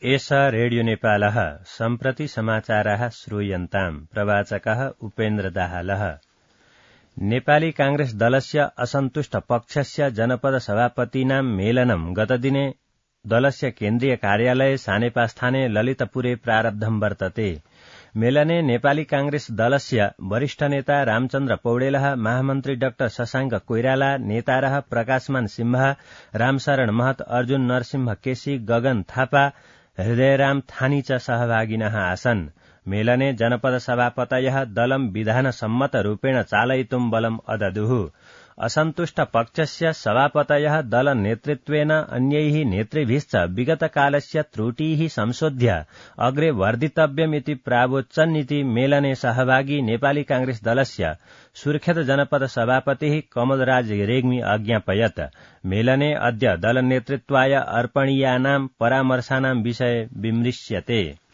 एष रेडियो नेपालः सम्प्रति समाचाराः श्रूयन्ताम्। प्रवाचकः उपेन्द्र दाहालः। नेपाली कांग्रेस दलस्य असन्तुष्ट पक्षस्य जनपद सभापतीनां मेलनं गतदिने दलस्य केन्द्रीय कार्यालये सानेपास्थाने ललितपुरे प्रारब्धं वर्तते। मेलने नेपाली कांग्रेस दलस्य वरिष्ठ नेता रामचन्द्र पौडेलः, महामन्त्री डाक्टर शशाङ्क कोइराला, नेतारः प्रकाशमान सिंह, रामशरण महत, अर्जुन नरसिंह केसी, गगन थापा, हृदयराम थानी च सहभागिनः आसन्। मेलने जनपद सभापतयः दलं विधानसम्मतरूपेण चालयितुं बलम् अददुः। असन्तुष्ट पक्षस्य सभापतयः दल नेतृत्वेन अन्यैः नेतृभिश्च विगतकालस्य त्रुटिः संशोध्य अग्रे वर्धितव्यमिति प्रावोच्चन्निति मेलने सहभागी नेपाली कांग्रेस दलस्य सुर्खेत जनपद सभापतिः कमलराज रेग्मी अज्ञापयत्। मेलने अद्य दल नेतृत्वाय अर्पणीयानां परामर्शानां विषये विमृश्यते।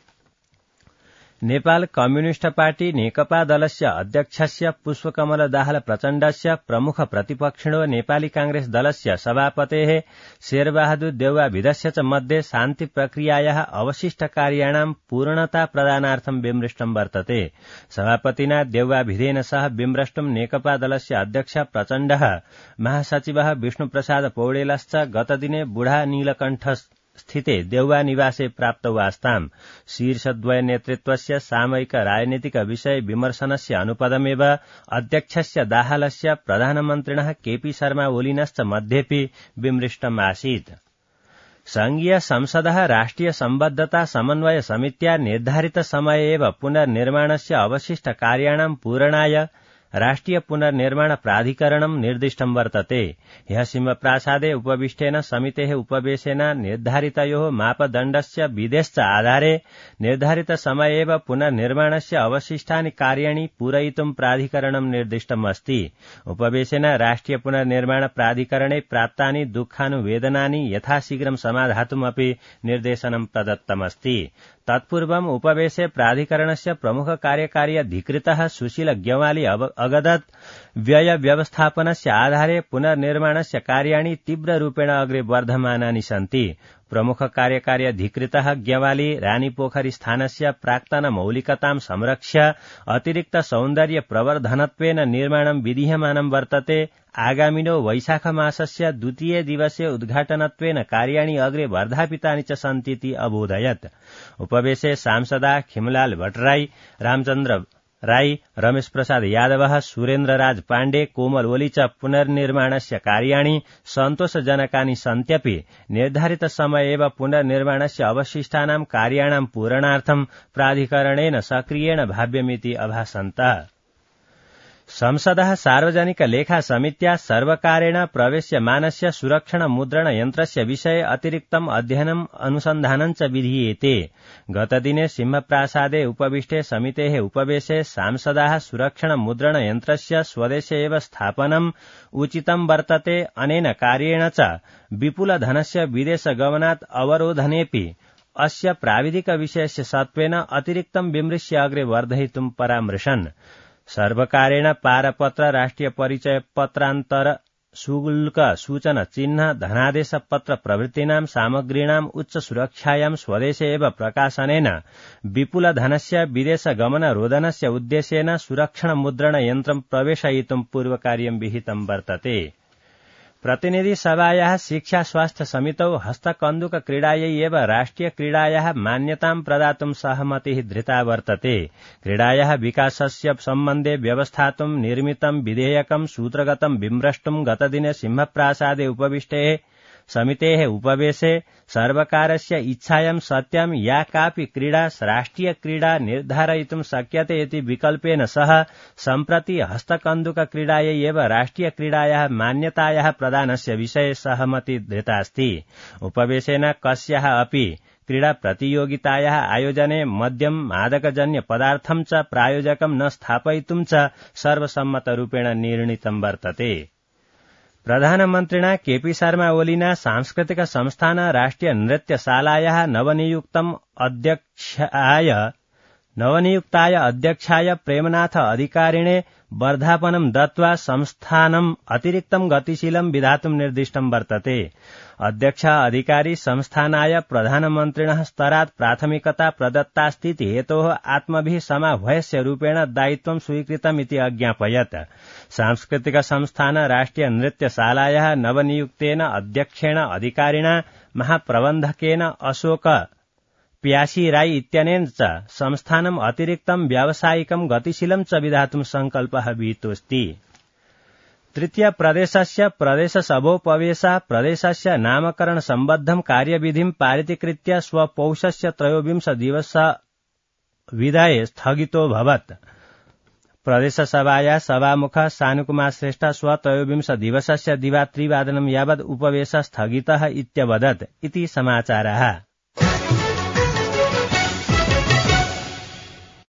नेपाल कम्युनिष्ट पार्टी नेकपा दलस्य अध्यक्षस्य पुष्पकमल दाहाल प्रचण्डस्य प्रमुख प्रतिपक्षिणो नेपाली कांग्रेस दलस्य सभापतेः शेरबहादुर देउवाभिधस्य च मध्ये शान्ति प्रक्रियायाः अवशिष्ट कार्याणां पूर्णता प्रदानार्थं विमृष्टं वर्तते। सभापतिना देउवाभिधेन सह विमृष्टुं नेकपा दलस्य अध्यक्ष प्रचण्डः, महासचिवः विष्णुप्रसाद पौडेलश्च गतदिने बुढा नीलकण्ठ स्थिते देउवा निवासे प्राप्तौ आस्ताम्। शीर्षद्वय नेतृत्वस्य सामयिक राजनीतिक विषय विमर्शनस्य अनुपदमेव अध्यक्षस्य दाहालस्य प्रधानमन्त्रिणः केपी शर्मा ओलीनश्च मध्येपि विमृष्टम् आसीत्। संघीय संसदः राष्ट्रिय सम्बद्धता समन्वय समित्या निर्धारित समये एव पुनर्निर्माणस्य अवशिष्ट कार्याणां पूरणाय राष्ट्रिय पुनर्निर्माण प्राधिकरणं निर्दिष्टं वर्तते। ह्यः सिंहप्रासादे उपविष्टेन समितेः उपवेशेन निर्धारितयोः मापदण्डस्य विधेश्च आधारे निर्धारित समये एव पुनर्निर्माणस्य अवशिष्टानि कार्याणि पूरयितुं प्राधिकरणं निर्दिष्टम् अस्ति। उपवेशेन राष्ट्रिय पुनर्निर्माण प्राधिकरणे प्राप्तानि दुःखानुवेदनानि यथाशीघ्रं समाधातुमपि निर्देशनं प्रदत्तमस्ति। तत्पूर्वम् उपवेशे प्राधिकरणस्य प्रमुख कार्यकारी अधिकृतः सुशील ग्यवाली अगदत् व्यय व्यवस्थापनस्य आधारे पुनर्निर्माणस्य कार्याणि तीव्ररूपेण अग्रे वर्धमानानि सन्ति। प्रमुख कार्यकारी अधिकृतः ग्यवाली रानीपोखरी स्थानस्य प्राक्तन मौलिकतां संरक्ष्य अतिरिक्त सौन्दर्य प्रवर्धनत्वेन निर्माणं विधीयमानं वर्तते। आगामिनो वैशाख मासस्य द्वितीय दिवसे उद्घाटनत्वेन कार्याणि अग्रे वर्धापितानि च सन्तीति अबोधयत्। उपवेशे सांसदा खिमलाल भट्टराई, रामचन्द्र राई, रमेश प्रसाद यादवः, सुरेन्द्र राज पाण्डे, कोमल ओली च पुनर्निर्माणस्य कार्याणि सन्तोषजनकानि सन्त्यपि निर्धारित समये एव पुनर्निर्माणस्य अवशिष्टानां कार्याणां पूरणार्थं प्राधिकरणेन सक्रियेण भाव्यमिति अभासन्तः। संसदः सार्वजनिक लेखा समित्या सर्वकारेण प्रवेश्यमानस्य सुरक्षण मुद्रण यन्त्रस्य विषये अतिरिक्तम् अध्ययनम् अनुसन्धानं च विधीयेते। गतदिने सिंहप्रासादे उपविष्टे समितेः उपवेशे सांसदाः सुरक्षण मुद्रण यन्त्रस्य स्वदेशे एव स्थापनम् उचितं वर्तते। अनेन कार्येण च विपुल धनस्य विदेश गमनात् अवरोधनेऽपि अस्य प्राविधिक विषयस्य सत्त्वेन अतिरिक्तं विमृश्य अग्रे वर्धयितुं परामृशन्। सर्वकारेण पारपत्र, राष्ट्रिय परिचय पत्रान्तर, शुल्क सूचना चिह्न, धनादेश पत्र प्रभृतीनां सामग्रीणाम् उच्च सुरक्षायां स्वदेशे एव प्रकाशनेन विपुल धनस्य विदेश गमन रोधनस्य उद्देश्येन सुरक्षण मुद्रण यन्त्रं प्रवेशयितुं पूर्वकार्यं विहितं वर्तते। प्रतिनिधि सभायाः शिक्षा स्वास्थ्य समितौ हस्तकन्दुक क्रीडायै एव राष्ट्रिय क्रीडायाः मान्यतां प्रदातुं सहमतिः धृता वर्तते। क्रीडायाः विकासस्य सम्बन्धे व्यवस्थातुं निर्मितं विधेयकं सूत्रगतं विमृष्टुं गतदिने सिंहप्रासादे उपविष्टे समितेः उपवेशे सर्वकारस्य इच्छायां सत्यं या कापि क्रीडा राष्ट्रिय क्रीडा निर्धारयितुं शक्यते इति विकल्पेन सह सम्प्रति हस्तकन्दुक क्रीडायै एव राष्ट्रिय क्रीडायाः मान्यतायाः प्रदानस्य विषये सहमति धृतास्ति। उपवेशेन कस्याः अपि क्रीडा प्रतियोगितायाः आयोजने मद्यं मादकजन्य पदार्थं च प्रायोजकं न स्थापयितुं च सर्वसम्मतरूपेण निर्णीतं वर्तते। प्रधानमन्त्रिणा केपी शर्मा ओलीना सांस्कृतिक संस्थान राष्ट्रिय नृत्यशालायाः नवनियुक्तम् अध्यक्षाय नवनियुक्ताय अध्यक्षाय प्रेमनाथ अधिकारिणे वर्धापनं दत्त्वा संस्थानम् अतिरिक्तं गतिशीलं विधातुं निर्दिष्टं वर्तते। अध्यक्ष अधिकारी संस्थानाय प्रधानमन्त्रिणः स्तरात् प्राथमिकता प्रदत्तास्तीति हेतोः आत्मभिः समाह्वयस्य रूपेण दायित्वं स्वीकृतमिति अज्ञापयत्। सांस्कृतिक संस्थान राष्ट्रिय नृत्यशालायाः नवनियुक्तेन अध्यक्षेण अधिकारिणा महाप्रबन्धकेन अशोक प्यासीराई इत्यनेन च संस्थानम् अतिरिक्तं व्यावसायिकं गतिशीलं च विधातुं सङ्कल्पः विहितोऽस्ति। तृतीय प्रदेशस्य प्रदेशसभोपवेशः प्रदेशस्य नामकरण सम्बद्धं कार्यविधिं पारितीकृत्य स्वपौषस्य 23 दिवस विधये स्थगितोऽभवत्। प्रदेशसभाया सभामुखः सानुकुमार श्रेष्ठ 23 दिवसस्य दिवा 3 वादनं यावत् उपवेशः स्थगितः इत्यवदत् इति समाचारः।